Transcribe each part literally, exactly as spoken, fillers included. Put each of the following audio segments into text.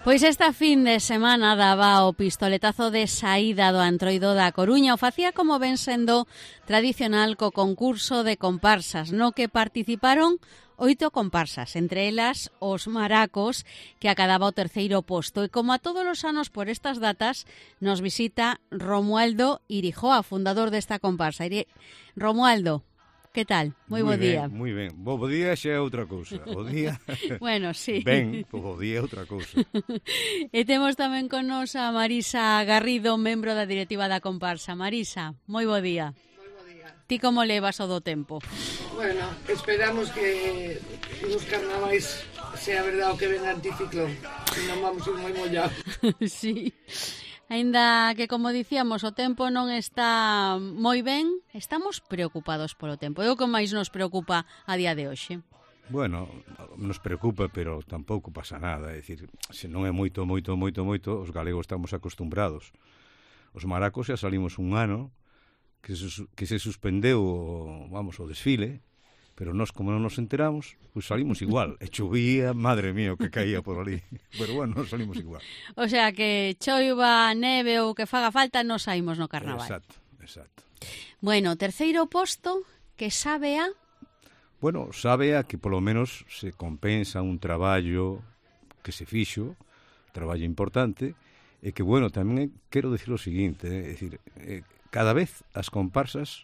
Pois esta fin de semana daba o pistoletazo de saída do Antroido da Coruña. O facía como ven sendo tradicional co concurso de comparsas, no que participaron oito comparsas, entre elas os Maracos, que acadaba o terceiro posto. E como a todos os anos por estas datas, nos visita Romualdo Irijoa, fundador desta comparsa. Romualdo, que tal? Moi bo día. Moi ben, bo día xa é outra cousa. Bo día... bueno, sí. Ben, bo día é outra cousa. E temos tamén con nos a Marisa Garrido, membro da directiva da comparsa. Marisa, moi bo día. Moi bo día. Ti como levas o do tempo? Bueno, esperamos que nos carnavais sea verdade o que ven anticiclón. Non vamos ir moi mollados. Sí. Ainda que, como dicíamos, o tempo non está moi ben, estamos preocupados polo tempo. É o que máis nos preocupa a día de hoxe. Bueno, nos preocupa, pero tampouco pasa nada. É dicir, se non é moito, moito, moito, moito, os galegos estamos acostumbrados. Os Maracos xa salimos un ano que se, que se suspendeu o, vamos, o desfile, pero nós, como non nos enteramos, pois salimos igual. E chovía, madre mía, que caía por ali. Pero bueno, nos salimos igual. O sea, que choiva, neve ou que faga falta, nos saímos no carnaval. Exacto, exacto. Bueno, terceiro posto, que sabe a... Bueno, sabe a que polo menos se compensa un traballo que se fixo, traballo importante, e que, bueno, tamén quero dicir o seguinte, é dicir, eh, cada vez as comparsas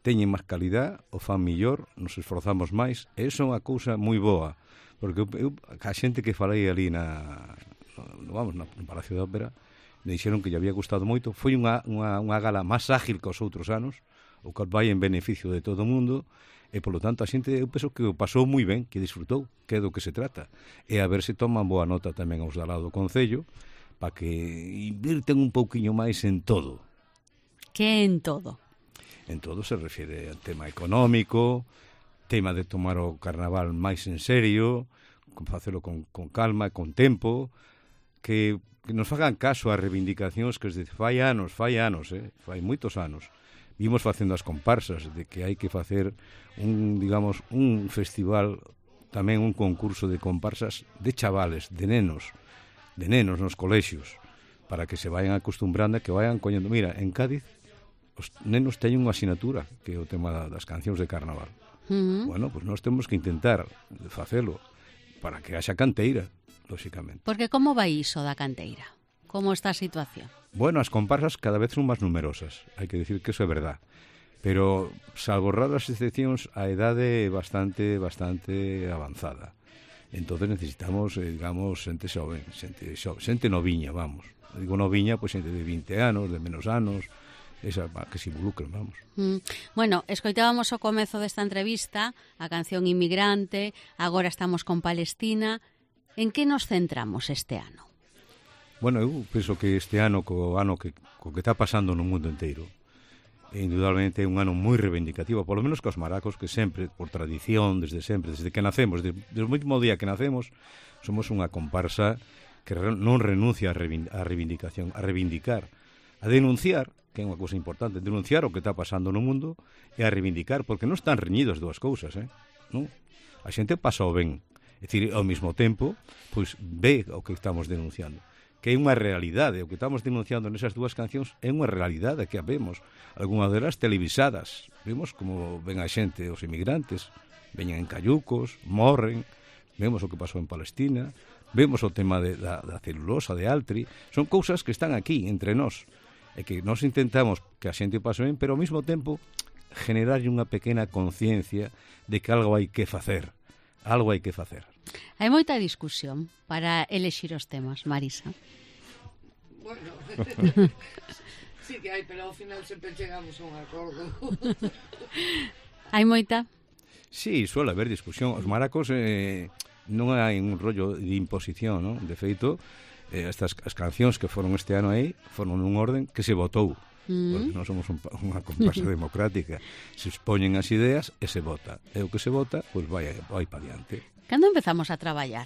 teñen máis calidad, o fan millor, nos esforzamos máis, e iso é unha cousa moi boa, porque eu, eu, a xente que falei ali na, no, vamos, no Palacio da Ópera, me dixeron que lle había gustado moito, foi unha, unha, unha gala máis ágil que os outros anos, o que vai en beneficio de todo o mundo, e polo tanto a xente, eu penso que o pasou moi ben, que disfrutou, que é do que se trata, e a ver se toman boa nota tamén aos da lado do Concello, para que invirten un pouquiño máis en todo. Que en todo? En todo se refiere ao tema económico, tema de tomar o carnaval máis en serio, con facelo con, con calma e con tempo, que, que nos fagan caso ás reivindicacións que desde fai anos, fai anos, eh, fai moitos anos, vimos facendo as comparsas de que hai que facer un, digamos, un festival, tamén un concurso de comparsas de chavales, de nenos, de nenos nos colexios, para que se vayan acostumbrando e que vayan coñendo. Mira, en Cádiz os nenos teñen unha asignatura que é o tema das cancións de carnaval. Uh-huh. Bueno, pois pues nós temos que intentar facelo para que haxa canteira, lóxicamente. Porque como vai iso da canteira? Como está a situación? Bueno, as comparsas cada vez son máis numerosas, hai que decir que eso é verdad. Pero, salvo raras excepcións, a idade é bastante, bastante avanzada. Entonces necesitamos, eh, digamos, xente xoven, xente, xoven, xente noviña, vamos. Digo noviña, pois xente de vinte anos, de menos anos, esa, que se involucren, vamos. Mm. Bueno, escoitábamos ao comezo desta entrevista a canción Inmigrante, agora estamos con Palestina. En que nos centramos este ano? Bueno, eu penso que este ano, co ano que, co que está pasando no mundo inteiro, é indudablemente un ano moi reivindicativo, polo menos cos Maracos, que sempre, por tradición, desde sempre, desde que nacemos, desde, desde o mesmo día que nacemos, somos unha comparsa que non renuncia a reivindicación, a reivindicar, a denunciar, que é unha cousa importante, denunciar o que está pasando no mundo e a reivindicar, porque non están reñidos dúas cousas, eh? Non? A xente pasa o ben, é dicir, ao mesmo tempo, pois ve o que estamos denunciando, que é unha realidade, o que estamos denunciando nesas dúas cancións é unha realidade que a vemos, algunhas delas televisadas, vemos como ven a xente, os inmigrantes, veñen en cayucos, morren, vemos o que pasou en Palestina, vemos o tema de, da, da celulosa, de Altri, son cousas que están aquí, entre nós, e que nós intentamos que a xente pase ben, pero ao mesmo tempo generarlle unha pequena conciencia de que algo hai que facer, algo hai que facer. Hai moita discusión para elexir os temas, Marisa. Bueno, sí que hai, pero ao final sempre chegamos a un acordo. Hai moita? Sí, suele haber discusión. Os Maracos eh, non hai un rollo de imposición, non? De feito, eh, estas as cancións que foron este ano aí foron nun orden que se votou. Mm. Porque non somos un, unha comparsa democrática. Se expoñen as ideas e se vota. E o que se vota, pois vai, vai para diante. Cando empezamos a traballar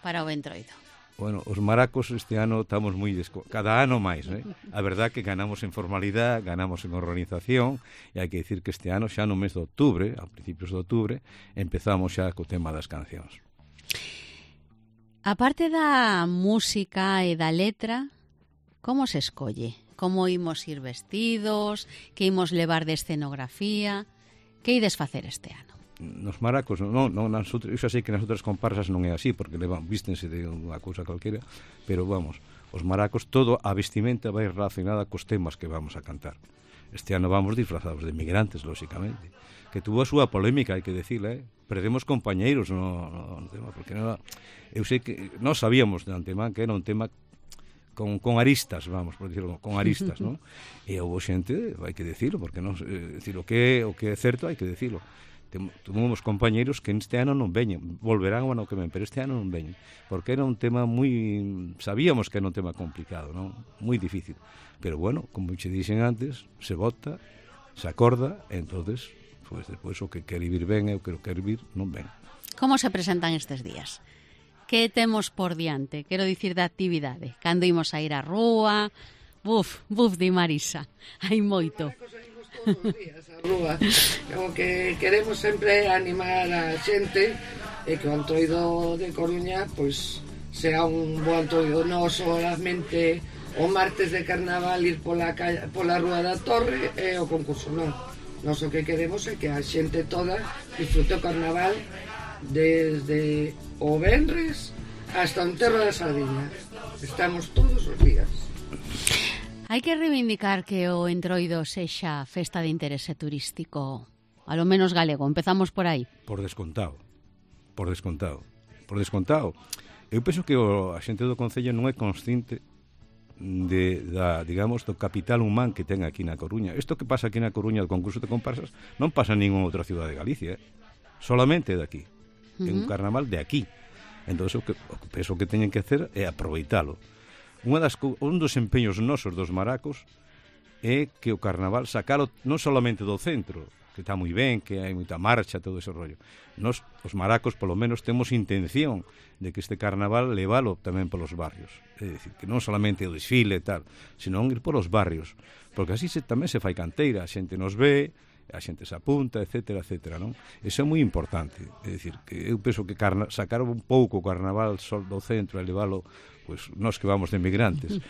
para o Entroido? Bueno, os Maracos este ano estamos moi desco... cada ano máis, eh? A verdad que ganamos en formalidade, ganamos en organización, e hai que dicir que este ano xa no mes de outubro, a principios de outubro, empezamos xa co tema das cancións. A parte da música e da letra, como se escolle? Como imos ir vestidos? Que imos levar de escenografía? Que ides facer este ano? Nos maracos, non, non, nas outras, eu xa sei que nas outras comparsas non é así, porque levan, vístense de unha cousa calquera, pero vamos, os maracos, todo a vestimenta vai relacionada cos temas que vamos a cantar. Este ano vamos disfrazados de migrantes, lóxicamente, que tuvo a súa polémica, hai que decirla, eh? Perdemos compañeiros no, no, no tema, porque non, eu sei que nós sabíamos de antemán que era un tema con, con aristas, vamos, por decirlo, con aristas, non? E houve xente, hai que decirlo, porque non, eh, decir, o que, o que é certo hai que decirlo. Tuvimos compañeiros que este ano non veñen, volverán o ano que ven, pero este ano non veñen, porque era un tema moi, sabíamos que era un tema complicado, non? Moi difícil, pero bueno, como che dixen antes, se vota, se acorda, e entonces, pois despois o que quere vir ben e o que non quere vir non ven. Como se presentan estes días? Que temos por diante? Quero dicir da actividade. Cando imos a ir á rúa? Buf, buf di Marisa, hai moito. Todos os días a rúa. Como que queremos sempre animar a xente e que o Antroido de Coruña pois sea un bo Antroido, non solamente o martes de carnaval ir pola, pola Rúa da Torre e o concurso, non. Nós o que queremos é que a xente toda disfrute o carnaval desde o venres hasta o enterro da Sardiña. Estamos todos os días. Hai que reivindicar que o Entroido sexa festa de interese turístico, a lo menos galego. Empezamos por aí. Por descontado. Por descontado. Por descontado. Eu penso que o, a xente do Concello non é consciente de, da, digamos, do capital humán que ten aquí na Coruña. Isto que pasa aquí na Coruña, o concurso de comparsas, non pasa en ninguna outra ciudad de Galicia, eh? Solamente de aquí. Uh-huh. É un carnaval de aquí. Entón, o que, o que penso que teñen que hacer é aproveitalo. Unha das, un dos empeños nosos dos maracos é que o carnaval sacalo non solamente do centro, que está moi ben, que hai moita marcha, todo ese rollo. Nos, os maracos, polo menos, temos intención de que este carnaval levalo tamén polos barrios. É dicir, que non solamente o desfile e tal, senón ir polos barrios. Porque así se, tamén se fai canteira, a xente nos ve, a xente se apunta, etcétera, etcétera, non? Iso é moi importante. É dicir, que eu penso que carna, sacar un pouco o carnaval sol do centro e levalo, pois, nós que vamos de emigrantes,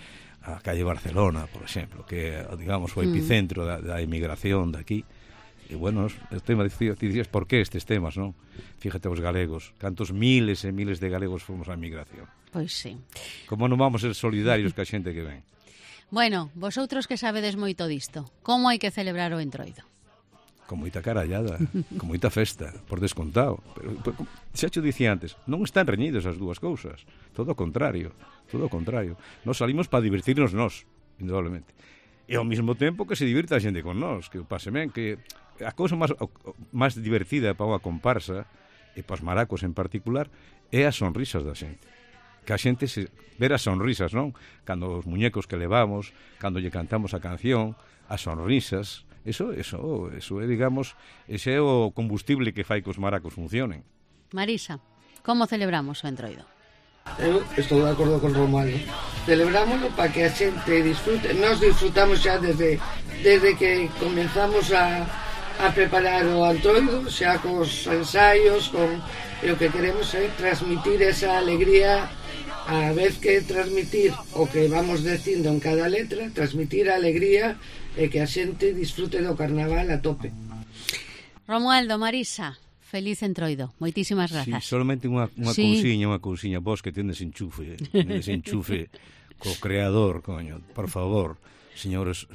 a calle Barcelona, por exemplo, que é, digamos, o epicentro da, da emigración daqui. E, bueno, o tema de dicías, por que estes temas, non? Fíjate os galegos, cantos miles e miles de galegos fomos á emigración. Pois sí. Como non vamos ser solidarios ca xente que ven? Bueno, vosotros que sabedes moito disto, como hai que celebrar o Entroido? Con moita carallada, con moita festa, por descontado. Pero, xa te dicía antes, non están reñidos as dúas cousas. Todo o contrario, todo o contrario. Nos salimos para divertirnos nós, indudablemente. E ao mesmo tempo que se divirta a xente con nós, que o pase ben, que a cousa máis, máis divertida para unha comparsa, e para os maracos en particular, é as sonrisas da xente. Que a xente se ver as sonrisas, non? Cando os muñecos que levamos, cando lle cantamos a canción, as sonrisas, eso, eso, eso é, digamos, ese é o combustible que fai que os maracos funcionen. Marisa, como celebramos o Entroido? Eu estou de acordo con Romualdo. Celebrámoslo para que a xente disfrute. Nós disfrutamos xa desde, desde que comenzamos a, a preparar o Antroido, xa cos ensaios, con, e o que queremos é transmitir esa alegría, a vez que transmitir o que vamos dicindo en cada letra, transmitir a alegría e que a xente disfrute do carnaval a tope. Romualdo, Marisa, feliz Entroido. Moitísimas grazas. Sí, solamente unha, unha sí. cousiña, unha cousiña. Vos que tendes enchufe, tendes enchufe co creador, coño. Por favor, señores,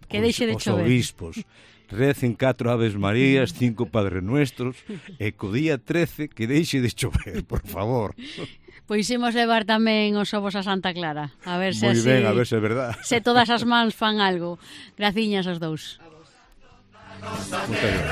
que deixe de os chover. obispos, recen catro Aves Marías, cinco Padre Nuestros, e co día trece que deixe de chover, por favor. Pois imos levar tamén os ovos a Santa Clara. A ver se Moi así, ben, a ver se é verdad. Se todas as mans fan algo. Graciñas aos dous. Moitas gracias.